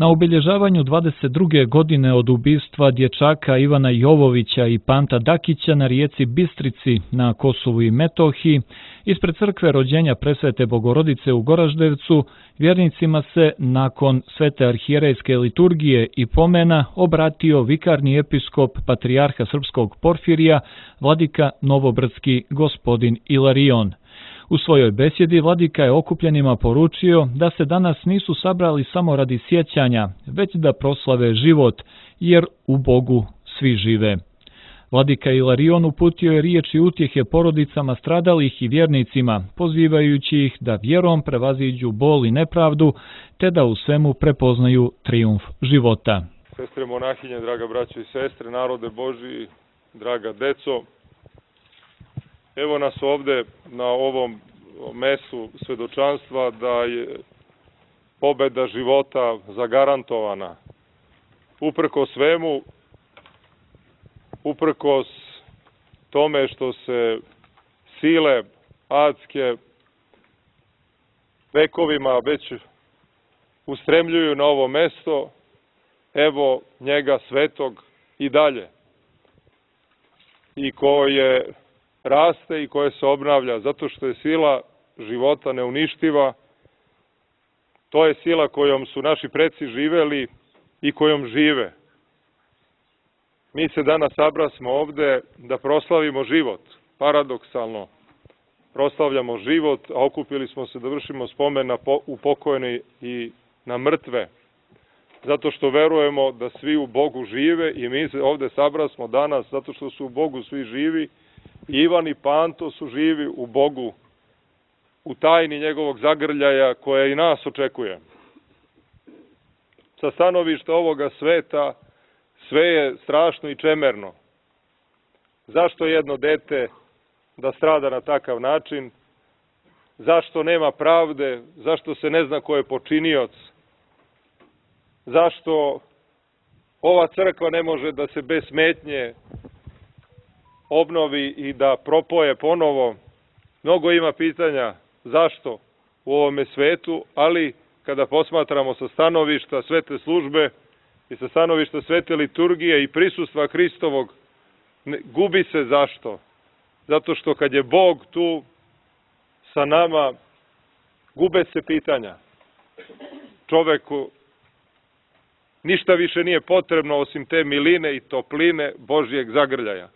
Na obilježavanju 22. godine od ubistva dječaka Ivana Jovovića i Panta Dakića na rijeci Bistrici na Kosovu i Metohiji, ispred crkve rođenja Presvete Bogorodice u Goraždevcu, vjernicima se nakon svete arhijerejske liturgije i pomena obratio vikarni episkop patrijarha srpskog Porfirija, vladika Novobrdski gospodin Ilarion. U svojoj besjedi vladika je okupljenima poručio da se danas nisu sabrali samo radi sjećanja, već da proslave život, jer u Bogu svi žive. Vladika Ilarion uputio je riječi utjehe porodicama stradalih i vjernicima, pozivajući ih da vjerom prevaziđu bol i nepravdu, te da u svemu prepoznaju trijumf života. Sestre monahinje, draga braćo i sestre, narode Božji, draga deco, evo nas ovde na ovom mesu svedočanstva da je pobeda života zagarantovana. Uprkos svemu, uprkos tome što se sile adske vekovima već ustremljuju na ovo mesto, evo njega svetog i dalje. I koje raste i koje se obnavlja, zato što je sila života neuništiva. To je sila kojom su naši preci živeli i kojom žive. Mi se danas sabrasmo ovde da proslavimo život. Paradoksalno, proslavljamo život, a okupili smo se da vršimo spomen na upokojene i na mrtve. Zato što verujemo da svi u Bogu žive i mi se ovde sabrasmo danas zato što su u Bogu svi živi. Ivan i Panto su živi u Bogu, u tajni njegovog zagrljaja koja i nas očekuje. Sa stanovišta ovoga sveta sve je strašno i čemerno. Zašto jedno dete da strada na takav način? Zašto nema pravde? Zašto se ne zna ko je počinioc? Zašto ova crkva ne može da se bez smetnje obnovi i da propoje ponovo? Mnogo ima pitanja zašto u ovome svetu, ali kada posmatramo sa stanovišta svete službe i sa stanovišta svete liturgije i prisustva Hristovog, gubi se zašto? Zato što kad je Bog tu sa nama, gube se pitanja. Čoveku ništa više nije potrebno osim te miline i topline Božjeg zagrljaja.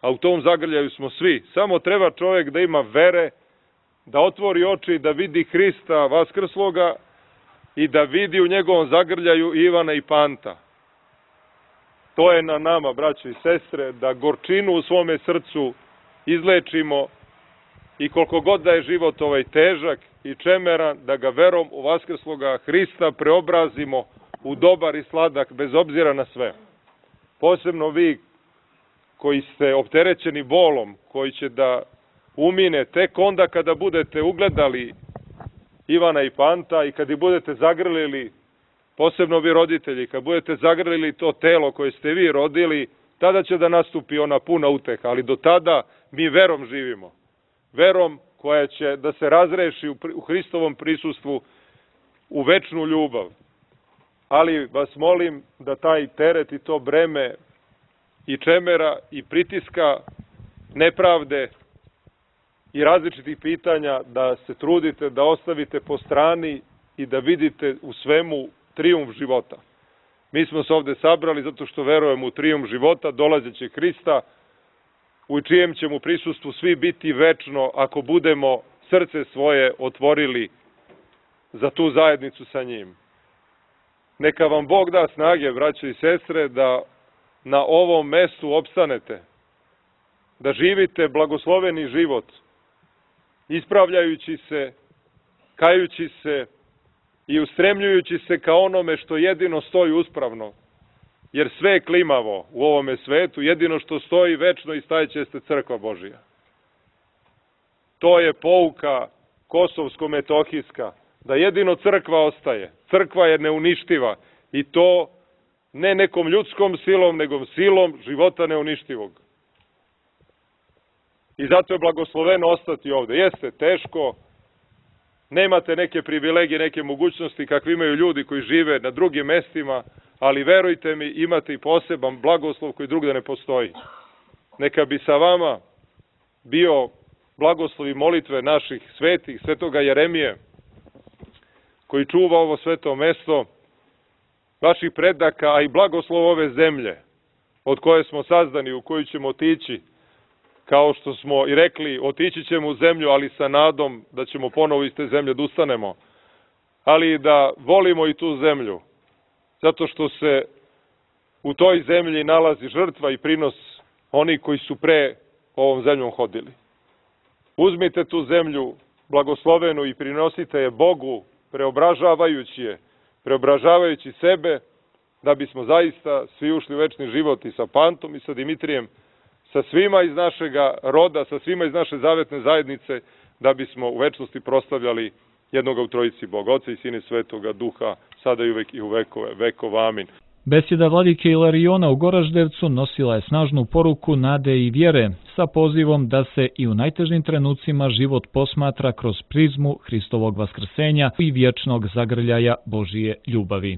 A u tom zagrljaju smo svi. Samo treba čovjek da ima vere, da otvori oči, da vidi Hrista vaskrsloga i da vidi u njegovom zagrljaju Ivana i Panta. To je na nama, braćo i sestre, da gorčinu u svome srcu izlečimo i koliko god da je život ovaj težak i čemeran, da ga verom u vaskrsloga Hrista preobrazimo u dobar i sladak, bez obzira na sve. Posebno vi koji ste opterećeni bolom, koji će da umine tek onda kada budete ugledali Ivana i Panta i kad ih budete zagrlili, posebno vi roditelji, kad budete zagrlili to telo koje ste vi rodili, tada će da nastupi ona puna uteha, ali do tada mi verom živimo. Verom koja će da se razreši u Hristovom prisustvu u večnu ljubav. Ali vas molim da taj teret i to breme i čemera i pritiska nepravde i različitih pitanja da se trudite, da ostavite po strani i da vidite u svemu trijumf života. Mi smo se ovde sabrali zato što verujemo u trijumf života, dolazećeg Hrista, u čijem ćemo prisustvu svi biti večno ako budemo srce svoje otvorili za tu zajednicu sa njim. Neka vam Bog da snage, braćo i sestre, da na ovom mestu opstanete, da živite blagosloveni život, ispravljajući se, kajući se i ustremljujući se ka onome što jedino stoji uspravno, jer sve je klimavo u ovome svetu, jedino što stoji večno i stajeće jeste crkva Božija. To je pouka kosovsko-metohijska, da jedino crkva ostaje. Crkva je neuništiva i to ne nekom ljudskom silom, nego silom života neuništivog. I zato je blagosloveno ostati ovde. Jeste teško, nemate neke privilegije, neke mogućnosti kakve imaju ljudi koji žive na drugim mestima, ali verujte mi, imate i poseban blagoslov koji drugde ne postoji. Neka bi sa vama bio blagoslov i molitve naših svetih, svetoga Jeremije, koji čuva ovo sveto mesto, vaših predaka, a i blagoslov ove zemlje, od koje smo sazdani, u koju ćemo otići, kao što smo i rekli, otići ćemo u zemlju, ali sa nadom da ćemo ponovo iz te zemlje da ustanemo, ali da volimo i tu zemlju, zato što se u toj zemlji nalazi žrtva i prinos oni koji su pre ovom zemljom hodili. Uzmite tu zemlju blagoslovenu i prinosite je Bogu, preobražavajući sebe, da bismo zaista svi ušli u večni život i sa Pantom i sa Dimitrijem, sa svima iz našega roda, sa svima iz naše zavetne zajednice, da bismo u večnosti proslavljali jednoga u trojici Boga, Oca i Sina i Svetoga Duha, sada i uvek i u vekove vekova. Amin. Besjeda vladike Ilariona u Goraždevcu nosila je snažnu poruku nade i vjere, sa pozivom da se i u najtežim trenucima život posmatra kroz prizmu Hristovog vaskrsenja i vječnog zagrljaja Božije ljubavi.